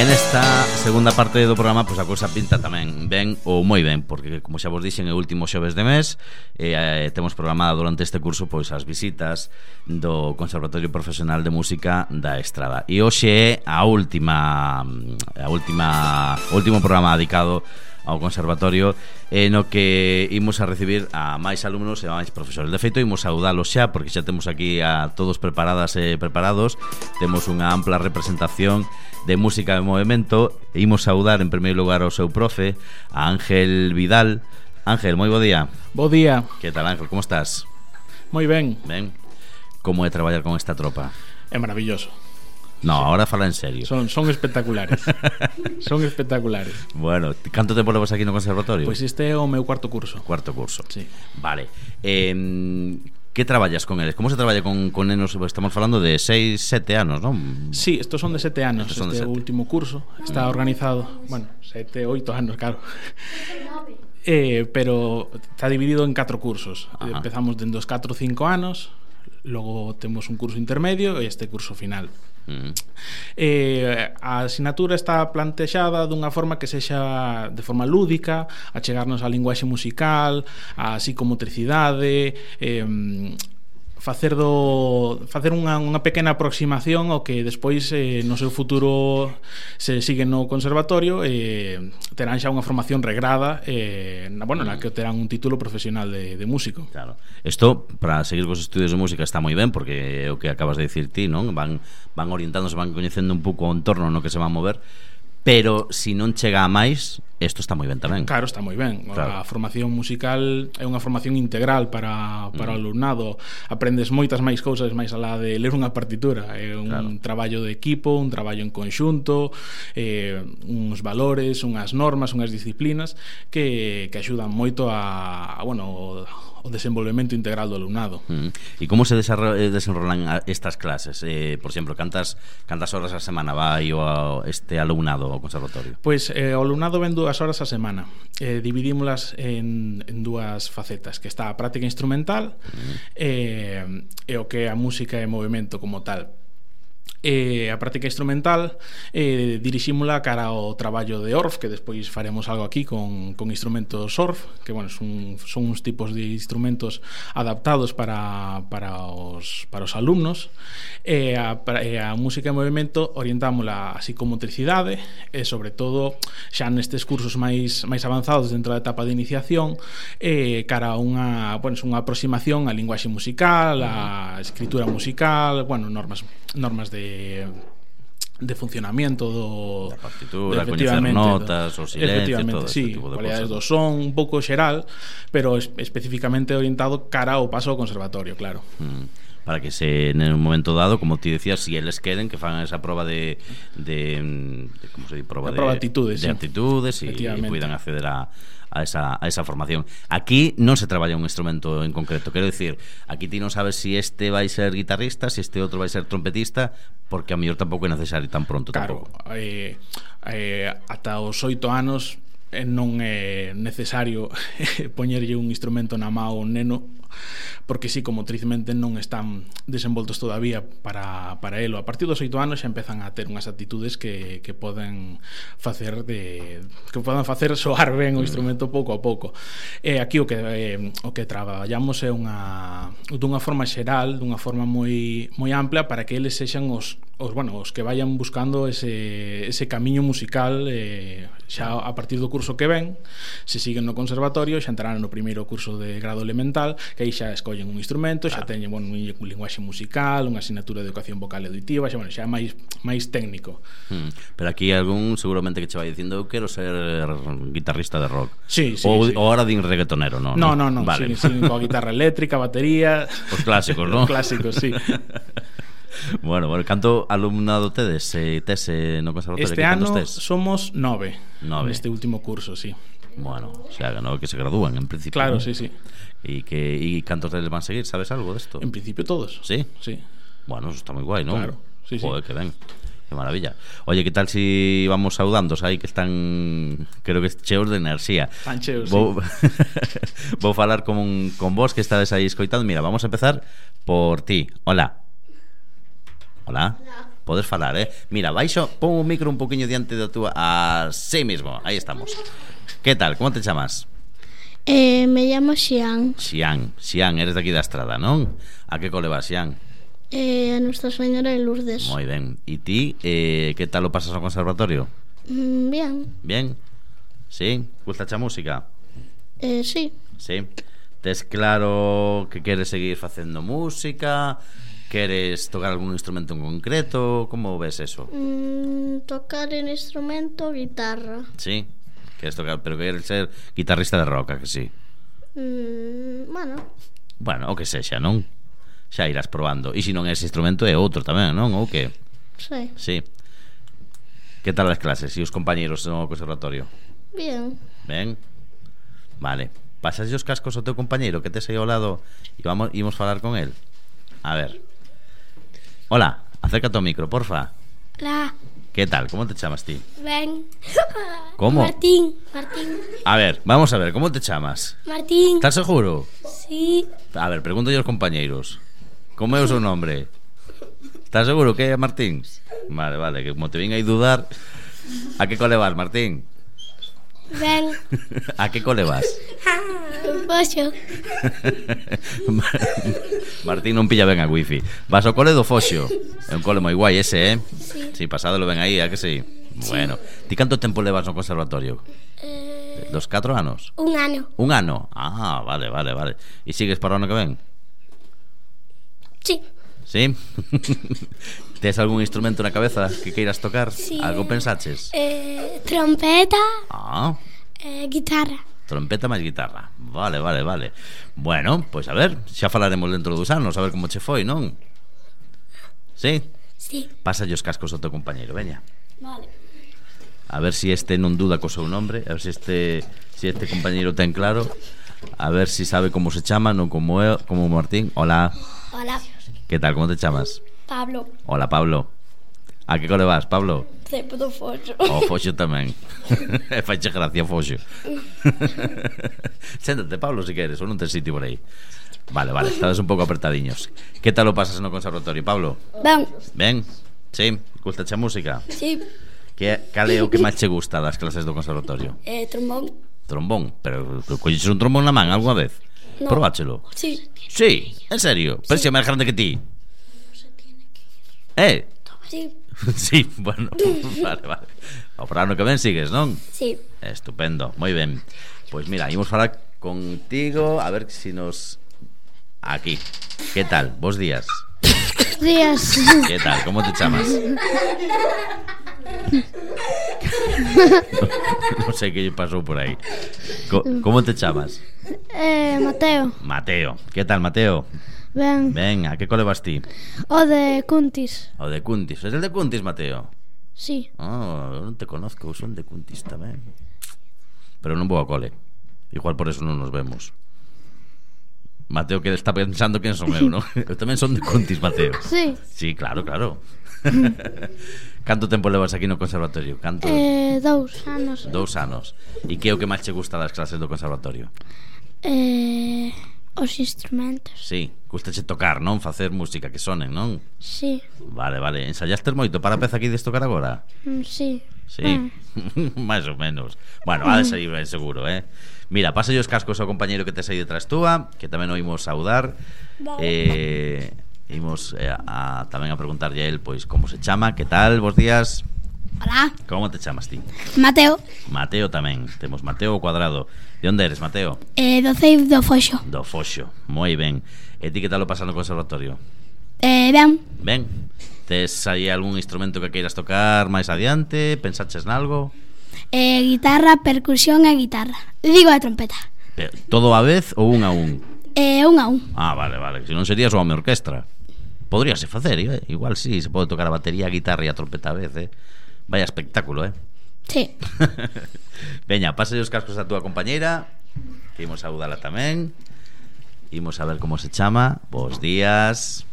En esta segunda parte do programa, pois a cousa pinta tamén ben ou moi ben, porque como xa vos dixen, é o último xoves de mes, temos programada durante este curso pois as visitas do Conservatorio Profesional de Música da Estrada. E hoxe é o último programa dedicado ao Conservatorio, no que imos a recibir a máis alumnos e a máis profesores. De feito, imos saudalos xa, porque xa temos aquí a todos preparadas e preparados. Temos unha ampla representación de música de movimento. E imos saudar en primeiro lugar ao seu profe, a Ángel Vidal. Ángel, moi bo día. Bo día. Que tal, Ángel, como estás? Moi ben. Ben. Como é traballar con esta tropa? É maravilloso. No, sí. Ahora fala en serio. Son espectaculares. Son espectaculares. Bueno, canto tempo levas aquí no conservatorio? Pois este é o meu cuarto curso. Cuarto curso. Sí. Vale. Que traballas con eles? Como se traballa con nenos? Estamos falando de 6, 7 anos, non? Sí, estos son de 7 anos. Este é o último curso. Está organizado, bueno, 7, 8 anos, claro. Pero está dividido en 4 cursos. Empezamos dende os 4 ou 5 anos. Logo temos un curso intermedio e este curso final. A asignatura está plantexada dunha forma que sexa de forma lúdica, a chegarnos á linguaxe musical, á psicomotricidade, facer unha pequena aproximación ao que despois no seu futuro se sigue no conservatorio, terán xa unha formación regrada, na que terán un título profesional de músico. Claro. Isto para seguir cos estudios de música está moi ben, porque é o que acabas de dicir ti, non? Van orientándose, van coñecendo un pouco o entorno no que se van mover. Pero se non chega a máis, isto está moi ben tamén. Claro, está moi ben. Claro. A formación musical é unha formación integral para o alumnado. Aprendes moitas máis cousas máis alá de ler unha partitura. É un traballo de equipo, un traballo en conxunto, uns valores, unhas normas, unhas disciplinas que axudan moito o desenvolvemento integral do alumnado. E como se desenrolan estas clases? Por exemplo, cantas horas a semana vai este alumnado ao conservatorio? Pois o alumnado ven 2 horas a semana. Dividímolas en dúas facetas, que está a práctica instrumental e o que é a música e movimento como tal. A práctica instrumental dirixímola cara ao traballo de Orff, que despois faremos algo aquí con instrumentos Orff, que bueno, son uns tipos de instrumentos adaptados para os alumnos. A música e movimento orientámola a psicomotricidade e sobre todo xa nestes cursos máis avanzados dentro da etapa de iniciación, cara a unha aproximación á linguaxe musical, á escritura musical, normas de funcionamiento da partitura, coñecer notas, o silencio, todo sí, tipo de cualidades cosas. Do son, un pouco xeral, pero especificamente orientado cara ao paso ao conservatorio, claro. Para que en un momento dado, como ti decías, si eles queren que fagan esa proba de como se di, proba de aptitudes, de aptitudes e poidan acceder a esa formación. Aquí non se traballa un instrumento en concreto. Quero dicir, aquí ti non sabes si este vai ser guitarrista, si este outro vai ser trompetista, porque a mellor tampouco é necesario tan pronto. Claro, ata os 8 anos non é necesario poñerlle un instrumento na mão a un neno, porque si comotrizmente non están desenvoltos todavía para elo. A partir dos 8 anos xa empezan a ter unhas actitudes que poden facer soar ben o instrumento pouco a pouco. Aquí o que traballamos é dunha forma xeral, dunha forma moi ampla, para que eles sexan os que vayan buscando ese camiño musical xa a partir do curso que ven. Se siguen no conservatorio xa entrarán no primeiro curso de grado elemental, que aí xa escollen un instrumento, xa teñen un linguaxe musical, unha asignatura de educación vocal e auditiva, xa é máis técnico. Pero aquí algún seguramente que che vai dicindo: eu quero ser guitarrista de rock. Sí. Ou ahora din reggaetonero, non? No. Vale. Sí, coa guitarra eléctrica, batería, os clásicos, non? Os clásicos, sí. Bueno, canto alumnado tedes no conservatorio? Este ano somos 9 neste último curso, sí. Bueno, o sea, que se gradúan en principio. Claro, ¿no? sí. ¿Y cantos teles van a seguir? ¿Sabes algo de esto? En principio todos. ¿Sí? Sí. Bueno, eso está muy guay, ¿no? Claro, sí. Joder, que ben. Qué maravilla. Oye, ¿qué tal si vamos saudando? Aí que están, creo que cheos de enerxía. Están cheos, Vou falar con vos que estades aí escoitando. Mira, vamos a empezar por ti. Hola. Hola. Podes falar, Mira, baixo, pon o micro un poquinho diante da túa. Así mismo, aí estamos. Que tal, como te chamas? Me llamo Xian. Xian, eres de aquí da Estrada, non? A que cole vas, Xian? A Nuestra Señora de Lourdes. Moi ben. E ti, que tal o pasas ao conservatorio? Bien. Bien? Sí? Gustache a música? Sí. Sí? Tes claro que queres seguir facendo música? Queres tocar algún instrumento en concreto? Como ves eso? Tocar en instrumento, guitarra. Sí? Queres tocar, pero queres ser guitarrista de rock, que sí? Bueno, o que sexa, non? Xa irás probando. E se non é ese instrumento é outro tamén, non? Ou que? Sí. Sí. Que tal as clases e os compañeros no conservatorio? Bien. Ben? Vale. Pasas os cascos ao teu compañeiro que tes aí ao lado e imos falar con el. A ver. Hola, acércate ao micro, porfa. Hola. Que tal? Como te chamas ti? Ben. Como? Martín. A ver, vamos a ver, como te chamas? Martín. Estás seguro? Sí. A ver, pregúntalle aos compañeiros. Como é o seu nombre? Estás seguro que é Martín? Vale, que como te vin aí dudar. A que cole vas, Martín? Ben. A que cole vas? Foxo. Martín non pilla ben a wifi. Vas ao cole do Foxo. É un cole moi guai ese, Sí. Sí, pasadelo ben aí, a que sí? Bueno, ti canto tempo levas no conservatorio? Dos 4 anos? Un ano. Un ano? Vale. E sigues para o ano que ven? Sí. Sí? Tes algún instrumento na cabeza que queiras tocar? Sí. Algo pensaches? Trompeta. Guitarra. Trompeta máis guitarra. Vale. Bueno, pois a ver, xa falaremos dentro dos anos, a ver como che foi, non? Sí? Sí. Pásalle os cascos ao teu compañeiro, veña. Vale. A ver se este non duda co seu nombre, a ver se este compañeiro ten claro, a ver se sabe como se chama, non como eu, como Martín. Hola. Hola. Que tal, como te chamas? Pablo. Hola, Pablo. A que cole vas, Pablo? Cepo do Foxo. O Foxo tamén. E faiche gracia, Foxo. Séntate, Pablo, se queres, ou non tes sitio por aí. Vale, estades un pouco apertadiños. Que tal o pasas no conservatorio, Pablo? Ben. Ben? Sí? Gustache a música? Sí. Cal é o que máis che gusta das clases do conservatorio? Trombón. Trombón? Pero colleches un trombón na man algunha vez? No. Probáchelo. Sí. Sí, en serio? Pero se é máis grande que ti. Sí. Sí, bueno, vale. O para ano que ven sigues, non? Sí. Estupendo, moi ben. Pois mira, imos falar contigo. A ver si nos... Aquí. Que tal? Bos días. Días. Que tal? Como te chamas? Non sei que lle pasou por aí. Como te chamas? Mateo. Mateo. Que tal, Mateo? Ben. Ben, a que cole vas ti? O de Cuntis. O de Cuntis. Es el de Cuntis, Mateo? Sí. Eu non te conozco, son de Cuntis tamén. Pero non vou a cole. Igual por eso non nos vemos. Mateo que está pensando quen son eu, non? Eu tamén son de Cuntis, Mateo. Sí. Sí, claro. Canto tempo levas aquí no conservatorio? 2 anos. 2 anos. E que é o que máis che gusta das clases do conservatorio? Os instrumentos. Sí, gustache tocar, non? Facer música que sonen, non? Sí. Vale. Ensayastes moito para a peza que ides tocar agora? Sí. Sí, máis ou menos. Bueno, ha de sair ben seguro, Mira, pasa os cascos ao compañeiro que tes aí detrás túa, que tamén o imos saudar. Vale. Imos tamén a preguntarlle a él, pois, como se chama, que tal, bos días. Hola. Como te chamas ti? Mateo. Mateo tamén, temos Mateo Cuadrado. De onde eres, Mateo? Do Ceib do Foxo. Do Foxo, moi ben. E ti que tal o pasas no conservatorio? Ben. Ben. Tes aí algún instrumento que queiras tocar máis adiante? Pensaches nalgo? Guitarra, percusión e guitarra. Digo a trompeta. Pero, todo a vez ou un a un? Un a un. Vale. Se non serías unha orquestra. Podríase facer, igual sí, se pode tocar a batería, a guitarra e a trompeta a vez, Vaya espectáculo, Sí. Veña, pásale os cascos a túa compañeira, que imos saudala tamén. Imos a ver como se chama. Bos días.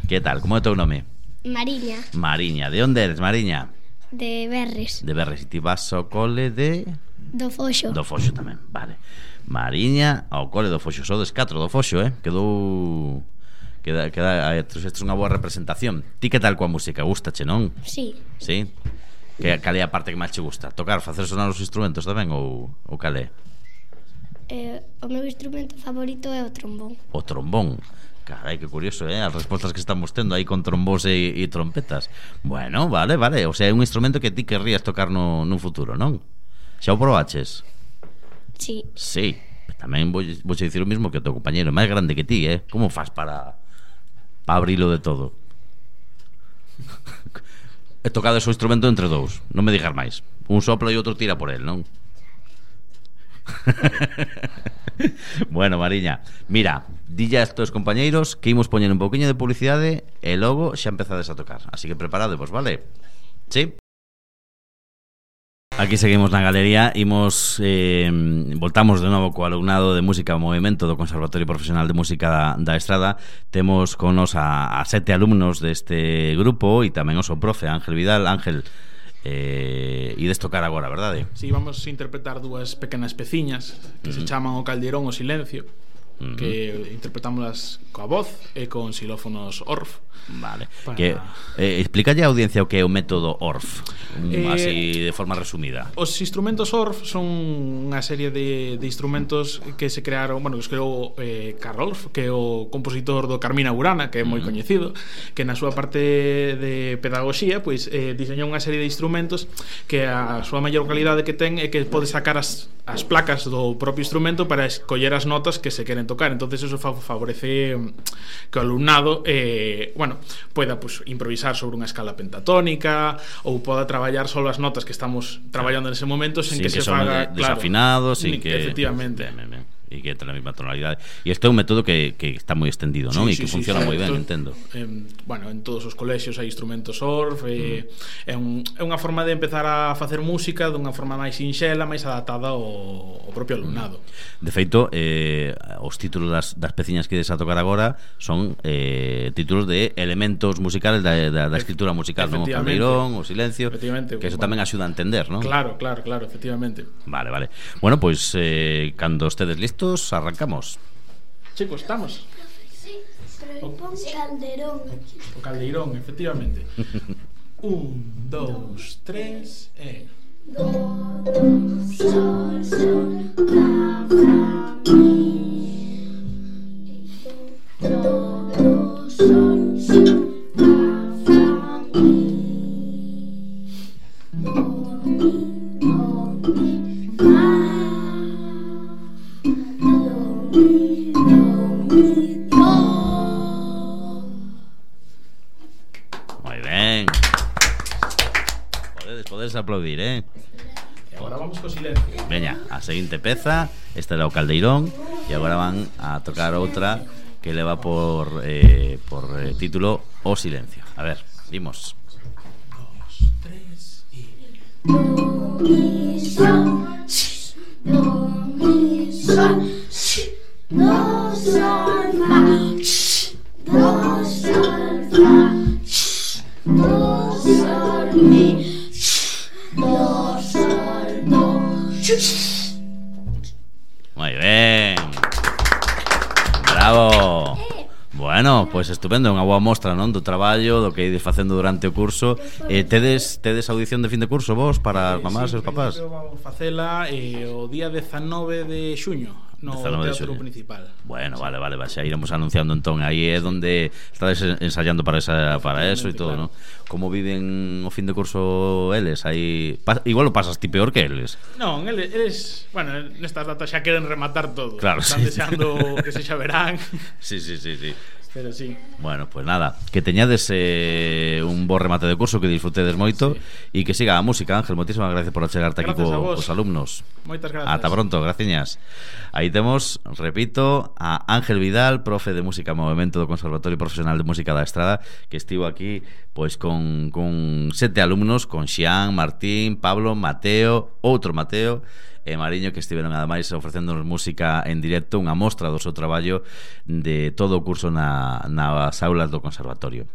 Que tal, como é o teu nome? Mariña. De onde eres, Mariña? De Berres. De Berres, e ti vas ao cole de... Do Foxo. Do Foxo tamén, vale. Mariña ao cole do Foxo. Sodes 4 do Foxo, Quedou trouxestes unha boa representación. Ti que tal coa música? Gustache, non? Sí. Sí? Cal é a parte que máis che gusta? Tocar, facer sonar os instrumentos tamén ou cal é? O meu instrumento favorito é o trombón. O trombón. Carai, que curioso, as respostas que estamos tendo aí con trombós e trompetas. Bueno, vale. O sea, é un instrumento que ti querrías tocar nun futuro, non? Xa o probaches? Sí. Sí. Tamén vou dicir o mismo que o teu compañeiro, máis grande que ti, Como faz para abrilo de todo? E tocades o instrumento entre dous, non me digas máis. Un sopla e outro tira por el, non? Bueno, Mariña, mira, dille a estos compañeiros que imos poñer un pouquiño de publicidade e logo xa empezades a tocar. Así que preparadevos, vale? Sí? Aquí seguimos na galería. Voltamos de novo co alumnado de Música ao Movimento do Conservatorio Profesional de Música da Estrada. Temos con nos a 7 alumnos deste grupo e tamén o seu profe, Ángel Vidal. Ángel, ides tocar agora, verdade? Si, vamos a interpretar dúas pequenas peciñas que se chaman O Caldeirón o Silencio, que interpretámoslas coa voz e con xilófonos Orff. Vale. Que explícalle á audiencia o que é o método Orff, así de forma resumida. Os instrumentos Orff son unha serie de instrumentos que se crearon, que os creou Carl Orff, que é o compositor do Carmina Burana, que é moi coñecido, que na súa parte de pedagogía pois diseñou unha serie de instrumentos que a súa maior calidade que ten é que pode sacar as placas do propio instrumento para escoller as notas que se queren tocar. Entonces eso favorece que o alumnado poida improvisar sobre unha escala pentatónica ou poda traballar só as notas que estamos traballando nese momento sen que se faga desafinados, sin que efectivamente e que entre a mesma tonalidade. E este é un método que está moi extendido, non? E que funciona moi ben, entendo. En todos os colexios hai instrumentos Orff, é unha forma de empezar a facer música dunha forma máis sinxela, máis adaptada ao propio alumnado. De feito, os títulos das peciñas que ides a tocar agora son títulos de elementos musicales da escritura musical, non? O Caldeirón, o Silencio, que eso tamén axuda a entender, non? Claro, efectivamente. Vale. Bueno, pois cando estedes listos, arrancamos. Chicos, estamos? Sí, pero pon Caldeirón. O Caldeirón, efectivamente. 1, 2, 3 e... Do, sol, sol, la, fa, mi. Do, sol, sol, la, fa, mi. Do, mi, fa. Moi ben. Podes aplaudir, E agora vamos co Silencio. Veña, a seguinte peza. Este era o Caldeirón. E agora van a tocar outra que leva por título O Silencio. A ver, vimos. 2, 3 e... Do, mi, sol, do, mi, sol, do, sol, fa, do, sol, fa, do, sol, mi, do, sol, do. Moi ben. Bravo. Bueno, pois estupendo, unha boa mostra, non, do traballo, do que ides facendo durante o curso. Tedes audición de fin de curso vos para as mamás e os papás? Vamos facela o día 19 de xuño no teatro principal. Bueno, vale, xa iremos anunciando entón. Aí é onde estades ensayando para eso e todo, claro. ¿No? Como viven o fin de curso eles? Aí igual o pasas ti peor que eles. Non, eles, nestas datas xa queren rematar todo. Claro, están deseando que se xa verán. Sí. Pero sí. Bueno, pues nada, que teñades un bo remate de curso, que disfrutedes moito e que siga a música. Ángel, moitísimas gracias por achegarte aquí cos alumnos. Moitas gracias. Ata pronto, graciñas. Aí temos, repito, a Ángel Vidal, profe de música Movimento do Conservatorio Profesional de Música da Estrada, que estivo aquí pois con 7 alumnos, con Xián, Martín, Pablo, Mateo, outro Mateo e Mariño, que estiveron ademais ofrecéndonos música en directo, unha mostra do seu traballo de todo o curso nas aulas do conservatorio.